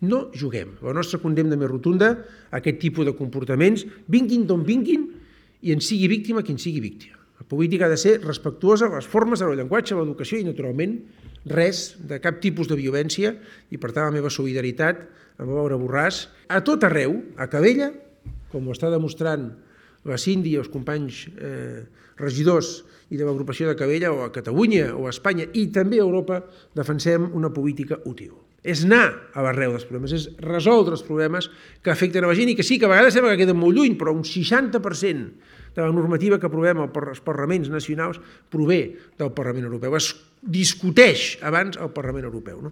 No juguem. La nostra condemna més rotunda a aquest tipus de comportaments, vinguin d'on vinguin, i en sigui víctima qui en sigui víctima. La política ha de ser respectuosa a les formes, al llenguatge, a l'educació i, naturalment, res de cap tipus de violència, i per tant la meva solidaritat amb Laura Borràs a tot arreu, a Calella, com ho està demostrant la Cindy i els companys regidors i de l'agrupació de Calella, o a Catalunya o a Espanya i també a Europa, defensem una política útil. És anar a l'arrel dels problemes, és resoldre els problemes que afecten a la gent i que sí, que a vegades sembla que queden molt lluny, però un 60% de la normativa que aprovem als parlaments nacionals prové del Parlament Europeu, es discuteix abans al Parlament Europeu.